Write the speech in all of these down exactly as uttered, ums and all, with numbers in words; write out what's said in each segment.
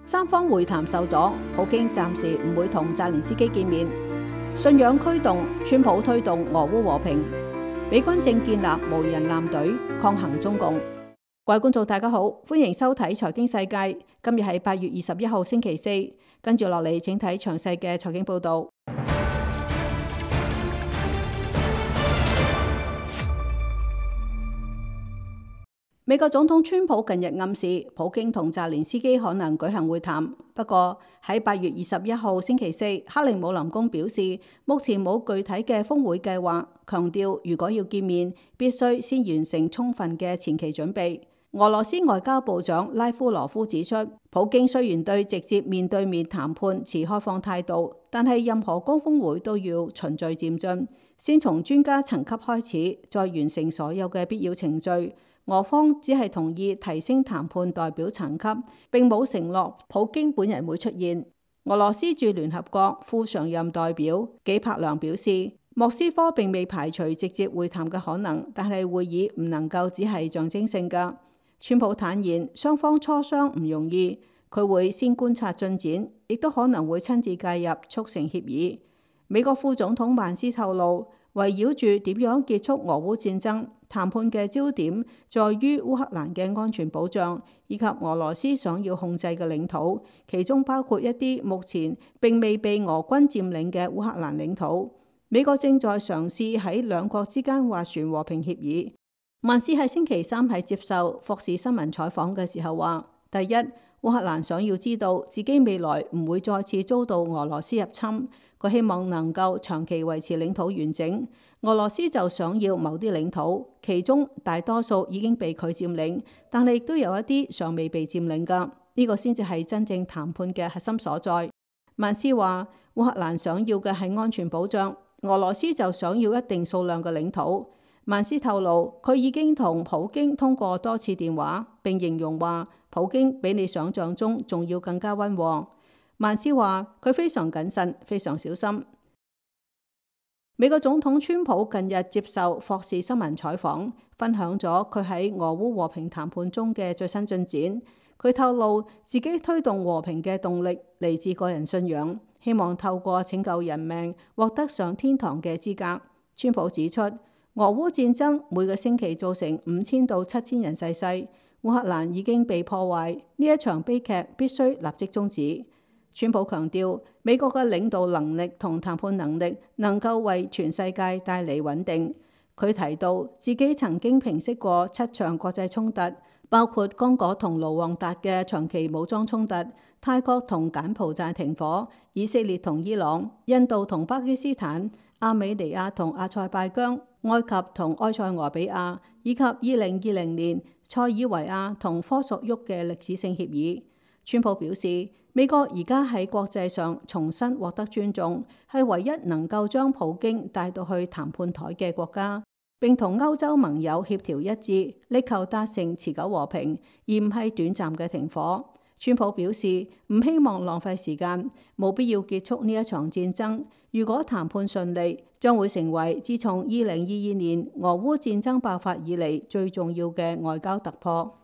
三方會談受阻，普京暫時唔會同澤連斯基見面。信仰驅動，川普推動俄烏和平。美軍正建立無人艦隊抗衡中共。各位觀眾大家好，歡迎收睇財經世界。今日係八月二十一號星期四，跟住落嚟請睇詳細嘅財經報道。美國總統川普近日暗示普京同澤連斯基可能舉行會談，不過喺八月二十一號星期四，克里姆林宮表示目前冇具體嘅峰會計劃，強調如果要見面，必須先完成充分嘅前期準備。俄羅斯外交部長拉夫羅夫指出，普京雖然對直接面對面談判持開放態度，但係任何高峰會都要循序漸進，先從專家層級開始，再完成所有嘅必要程序。俄方只係同意提升談判代表層級，並冇承諾普京本人會出現。俄羅斯駐聯合國副常任代表紀柏良表示，莫斯科並未排除直接會談嘅可能，但係會議唔能夠只係象徵性㗎。川普坦言，雙方磋商唔容易，佢會先觀察進展，亦都可能會親自介入促成協議。美國副總統萬斯透露，圍繞住點樣結束俄烏戰爭，談判嘅焦點在於烏克蘭嘅安全保障，以及俄羅斯想要控制嘅領土，其中包括一啲目前並未被俄軍佔領嘅烏克蘭領土。美國正在嘗試喺兩國之間斡旋和平協議。萬斯喺星期三喺接受霍士新聞採訪嘅時候話，第一，烏克蘭想要知道自己未來唔會再次遭到俄羅斯入侵，佢希望能夠長期維持領土完整。俄羅斯就想要某啲領土，其中大多數已經被佢佔領，但係亦都有一啲尚未被佔領㗎。呢個先至係真正談判嘅核心所在。萬斯話，烏克蘭想要嘅係安全保障，俄羅斯就想要一定數量嘅領土。萬斯透露，佢已經同普京通過多次電話，並形容話普京比你想象中仲要更加溫和。萬斯話佢非常謹慎，非常小心。美國總統川普近日接受霍士新聞採訪，分享咗佢喺俄烏和平談判中嘅最新進展。佢透露自己推動和平嘅動力嚟自個人信仰，希望透過拯救人命獲得上天堂嘅資格。川普指出，俄烏戰爭每個星期造成五千到七千人逝世，烏克蘭已經被破壞，呢一場悲劇必須立即終止。川普強調，美國嘅領導能力同談判能力能夠為全世界帶嚟穩定。佢提到自己曾經平息過七場國際衝突，包括剛果同盧旺達嘅長期武裝衝突、泰國同柬埔寨停火、以色列同伊朗、印度同巴基斯坦、亞美尼亞同阿塞拜疆、埃及同埃塞俄比亞，以及二零二零年塞爾維亞同科索沃嘅歷史性協議。川普表示，美國而家喺國際上重新獲得尊重，係唯一能夠將普京帶到去談判台嘅國家，並同歐洲盟友協調一致，力求達成持久和平，而唔係短暫嘅停火。川普表示唔希望浪費時間，冇必要結束呢一場戰爭。如果談判順利，將會成為自從二零二二年俄烏戰爭爆發以嚟最重要嘅外交突破。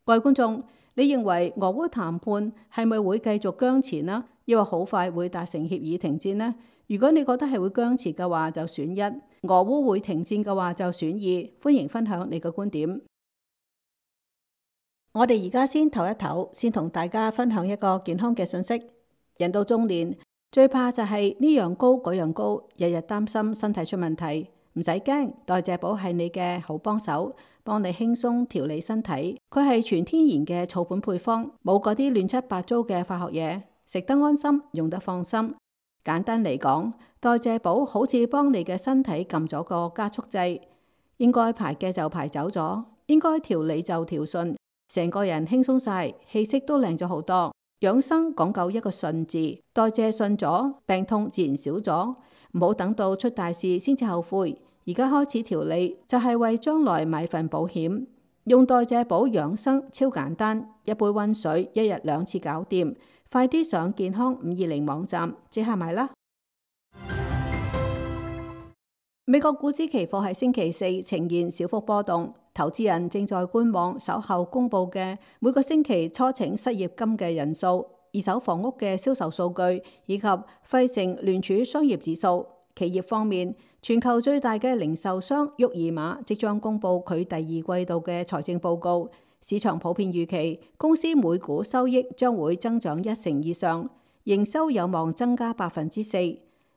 各位觀眾，你認為俄烏談判係咪會繼續僵持呢？抑或好快會達成協議停戰呢？如果你覺得係會僵持嘅話，就選一；俄烏會停戰嘅話，就選二。歡迎分享你嘅觀點。我哋而家先唞一唞，先同大家分享一個健康嘅信息。人到中年，最怕就係呢樣高嗰樣高，日日擔心身體出問題。唔使驚，代謝寶係你嘅好幫手，幫你輕鬆調理身體。佢係全天然嘅草本配方，冇嗰啲亂七八糟嘅化學嘢，食得安心，用得放心。簡單嚟講，代謝寶好似幫你嘅身體撳咗個加速劑，應該排嘅就排走咗，應該調理就調順。成個人輕鬆晒，氣色都靚咗好多。養生講究一個順字，代謝順咗，病痛自然少咗。唔好等到出大事先至後悔，而家開始調理就係為將來買份保險。用代謝寶養生超簡單，一杯溫水，一日兩次搞掂。快啲上健康五二零網站即刻買啦！美國股指期貨喺星期四呈現小幅波動，投資人正在觀望稍後公佈嘅每個星期初請失業金嘅人數、二手房屋嘅銷售數據以及費城聯儲商業指數。企業方面，全球最大嘅零售商沃爾瑪即將公佈佢第二季度嘅財政報告，市場普遍預期公司每股收益將會增長一成以上，營收有望增加百分之四。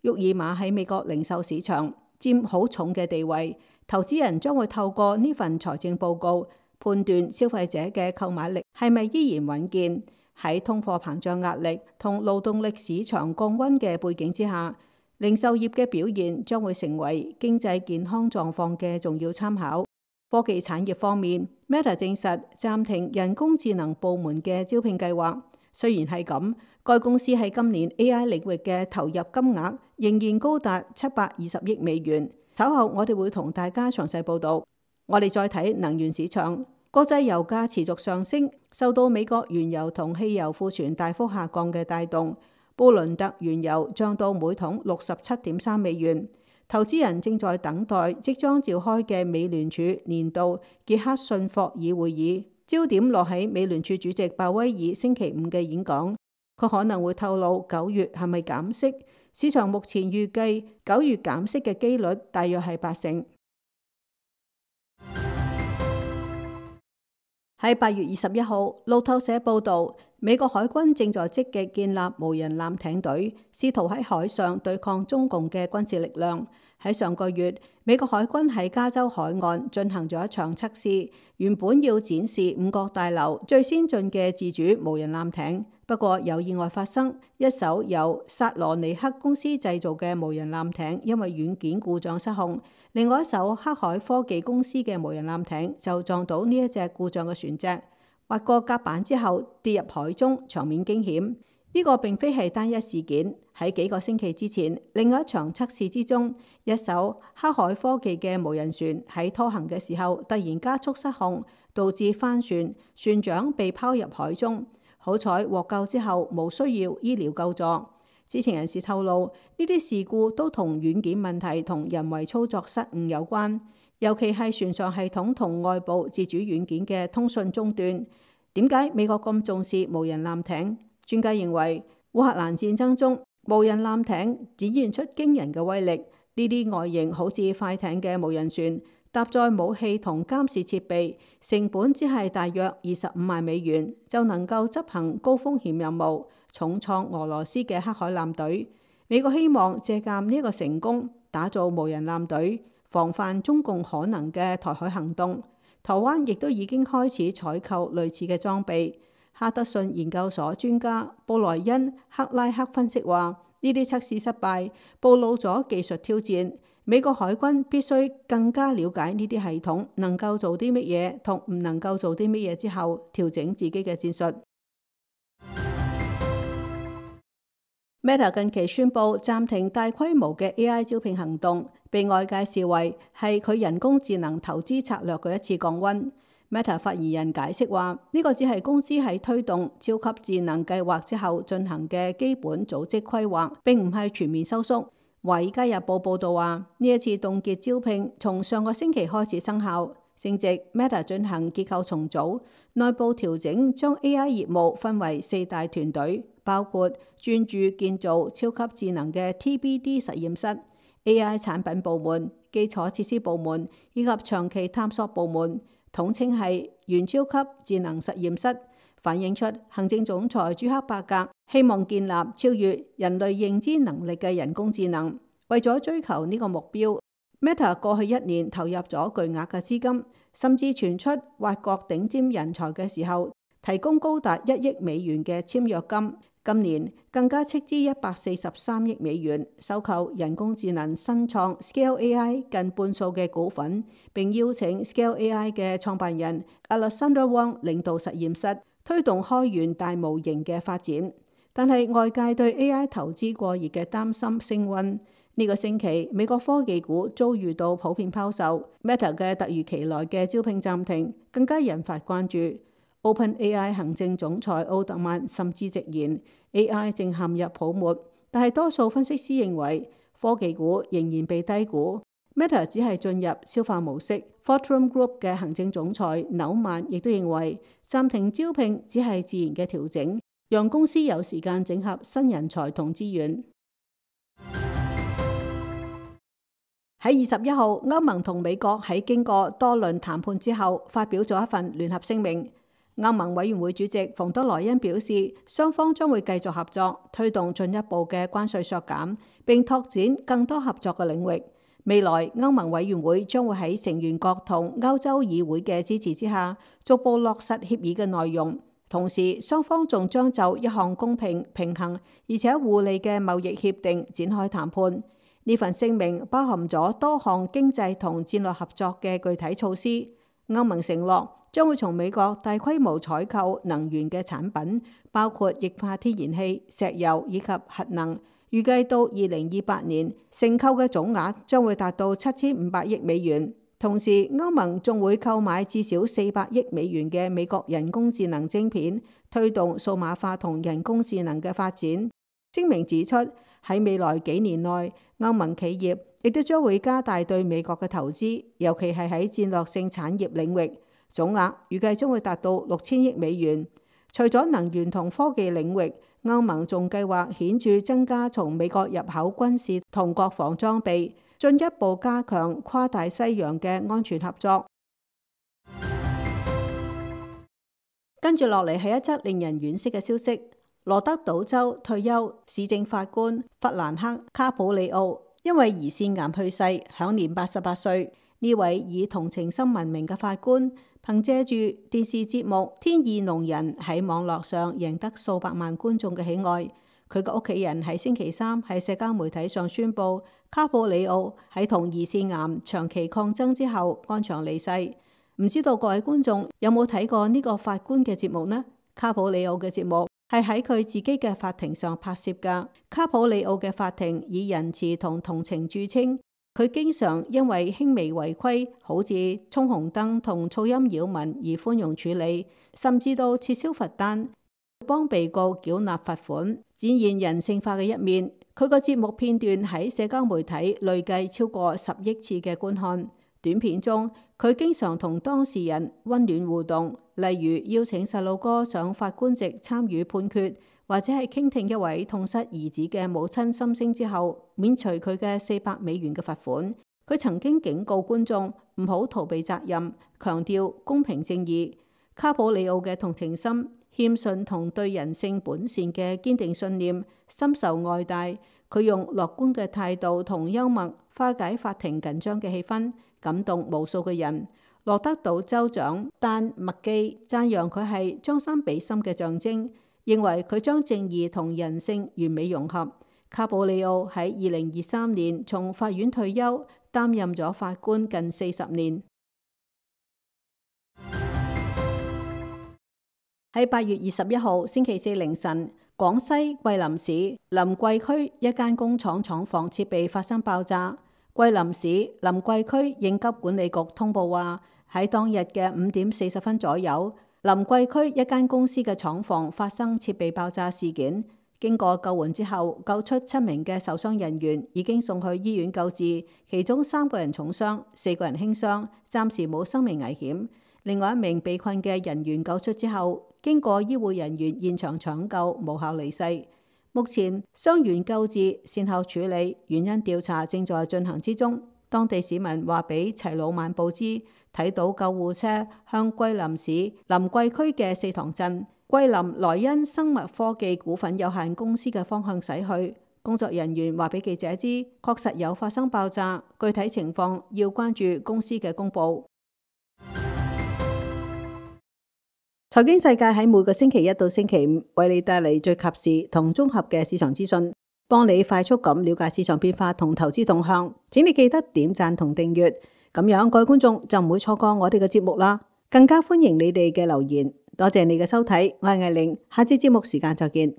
沃爾瑪喺美國零售市場佔好重嘅地位，投資人將會透過呢份財政報告判斷消費者嘅購買力係咪依然穩健。喺通貨膨脹壓力同勞動力市場降溫嘅背景之下，零售業嘅表現將會成為經濟健康狀況嘅重要參考。科技產業方面， Meta 證實暫停人工智能部門嘅招聘計劃。雖然係咁，該公司喺今年 A I 領域嘅投入金額仍然高達七百二十億美元。稍後我哋會同大家詳細報導。我哋再睇能源市場，國際油價持續上升，受到美國原油同汽油庫存大幅下降嘅帶動。布倫特原油漲到每桶六十七點三美元。投資人正在等待即將召開嘅美聯儲年度傑克遜霍爾會議，焦點落喺美聯儲主席鮑威爾星期五嘅演講。佢可能會透露九月係咪減息。市場目前預計九月減息嘅機率大約係八成。喺八月二十一號，路透社報導，美國海軍正在積極建立無人艦艇隊，試圖喺海上對抗中共嘅軍事力量。喺上個月，美國海軍喺加州海岸進行咗一場測試，原本要展示五角大樓最先進嘅自主無人艦艇，不過有意外發生，一艘由薩羅尼克公司製造嘅無人艦艇因為軟件故障失控，另外一艘黑海科技公司嘅無人艦艇就撞到呢一隻故障嘅船隻，滑過甲板之後跌入海中，場面驚險。呢個並非係單一事件，喺幾個星期之前，另外一場測試之中，一艘黑海科技嘅無人船喺拖行嘅時候突然加速失控，導致翻船，船長被拋入海中。好彩獲救之後無需要醫療救助。知情人士透露，呢啲事故都同軟件問題同人為操作失誤有關，尤其係船上系統同外部自主軟件嘅通訊中斷。點解美國咁重視無人艦艇？專家認為，烏克蘭戰爭中無人艦艇展現出驚人嘅威力。呢啲外形好似快艇嘅無人船，搭載武器同監視設備，成本只係大約二十五萬美元，就能夠執行高風險任務，重創俄羅斯嘅黑海艦隊。美國希望借鑑呢個成功，打造無人艦隊，防範中共可能嘅台海行動。台灣亦都已經開始採購類似嘅裝備。哈德遜研究所專家布萊恩克拉克分析話，呢啲測試失敗，暴露咗技術挑戰。美國海軍必須更加了解呢啲系統能夠做啲乜嘢同唔能夠做啲乜嘢之後，調整自己嘅戰術。Meta 近期宣布暫停大規模嘅 A I 招聘行動，被外界視為係佢人工智能投資策略嘅一次降溫。Meta 發言人解釋話，呢個只係公司喺推動超級智能計劃之後進行嘅基本組織規劃，並唔係全面收縮。《華爾街日報》報導話，呢一次凍結招聘從上個星期開始生效，正值 Meta 進行結構重組、內部調整，將 A I 業務分為四大團隊，包括專注建造超級智能嘅 T B D 實驗室、A I 產品部門、基礎設施部門以及長期探索部門。統稱係元超級智能實驗室，反映出行政總裁朱克伯格希望建立超越人類認知能力嘅人工智能。為咗追求呢個目標， Meta 過去一年投入咗巨額嘅資金，甚至傳出挖角頂尖人才嘅時候提供高達一億美元嘅簽約金。今年更加斥資一百四十三億美元收購人工智能新創 Scale A I 近半數嘅股份，並邀請 Scale A I 嘅創辦人 Alexander Wang 領導實驗室，推動開源大模型嘅發展。但係外界對 A I 投資過熱嘅擔心升溫。呢、這個星期美國科技股遭遇到普遍拋售 ，Meta 嘅突如其來嘅招聘暫停更加引發關注。OpenAI 行政總裁奧特曼甚至直言 A I 正陷入泡沫，但係多數分析師認為科技股仍然被低估。Meta 只係進入消化模式。Fortune Group 嘅行政總裁紐曼亦都認為，暫停招聘只係自然嘅調整，讓公司有時間整合新人才同資源。喺二十一號，歐盟同美國喺經過多輪談判之後，發表咗一份聯合聲明。歐盟委員會主席馮德萊恩表示，雙方將會繼續合作，推動進一步嘅關稅削減，並拓展更多合作嘅領域。未來歐盟委員會將會喺成員國同歐洲議會嘅支持之下，逐步落實協議嘅內容。同時，雙方仲將就一項公平、平衡而且互利嘅貿易協定展開談判。呢份聲明包含咗多項經濟同戰略合作嘅具體措施。歐盟承諾將會從美國大規模採購能源嘅產品，包括液化天然氣、石油以及核能。預計到二零二八年，承購嘅總額將會達到七千五百億美元。同時，歐盟仲會購買至少四百億美元嘅美國人工智能晶片，推動數碼化同人工智能嘅發展。聲明指出，喺未來幾年內，歐盟企業亦都將會加大對美國嘅投資，尤其係喺戰略性產業領域，總額預計將會達到六千億美元。除咗能源同科技領域，歐盟仲計劃顯著增加從美國入口軍事同國防裝備，進一步加強跨大西洋嘅安全合作。跟住落嚟係一則令人惋惜嘅消息。羅德島州退休市政法官弗蘭克·卡普里奧因為胰腺癌去世，享年八十八歲。呢位以同情心聞名嘅法官，憑借住電視節目《天意弄人》喺網絡上贏得數百萬觀眾嘅喜愛。佢嘅屋企人喺星期三喺社交媒體上宣布，卡普里奧喺同胰腺癌長期抗爭之後安詳離世。唔知道各位觀眾有冇睇過呢個法官嘅節目呢？卡普里奧嘅節目係喺佢自己嘅法庭上拍攝㗎。卡普里奧嘅法庭以仁慈同同情著稱，佢經常因為輕微違規，好似衝紅燈同噪音擾民而寬容處理，甚至到撤銷罰單，幫被告繳納罰款，展現人性化嘅一面。佢個節目片段喺社交媒體累計超過十億次嘅觀看。短片中，佢經常同當事人溫暖互動，例如邀請細路哥上法官席參與判決，或者係傾聽一位痛失兒子嘅母親心聲之後，免除佢嘅四百美元嘅罰款。佢曾經警告觀眾唔好逃避責任，強調公平正義。卡普里奧嘅同情心、謙遜同對人性本善嘅堅定信念深受愛戴。佢用樂觀嘅態度同幽默化解法庭緊張嘅氣氛，感動無數嘅人。羅德島州長丹麥基讚揚佢係將心比心嘅象徵，認為佢將正義同人性完美融合。卡普里奧喺二零二三年從法院退休，擔任咗法官近四十年。喺八月二十一號星期四凌晨，廣西桂林市臨桂區一間工廠廠房設備發生爆炸。桂林市臨桂區應急管理局通報話，喺當日嘅五點四十分左右，臨桂區一間公司嘅廠房發生設備爆炸事件。經過救援之後，救出七名嘅受傷人員，已經送去醫院救治，其中三個人重傷，四個人輕傷，暫時冇生命危險。另外一名被困嘅人員救出之後，經過醫護人員現場搶救，無效離世。目前傷員救治、善後處理、原因調查正在進行之中。當地市民話俾齊魯晚報知，睇到救護車向桂林市臨桂區嘅四塘鎮桂林萊茵生物科技股份有限公司嘅方向駛去。工作人員話俾記者知，確實有發生爆炸，具體情況要關注公司嘅公佈。財經世界喺每個星期一到星期五為你帶嚟最及時同綜合嘅市場資訊，幫你快速咁了解市場變化同投資動向。請你記得點讚同訂閱，咁樣各位觀眾就唔會錯過我哋嘅節目啦。更加歡迎你哋嘅留言。多謝你嘅收睇，我係艾玲，下次節目時間再見。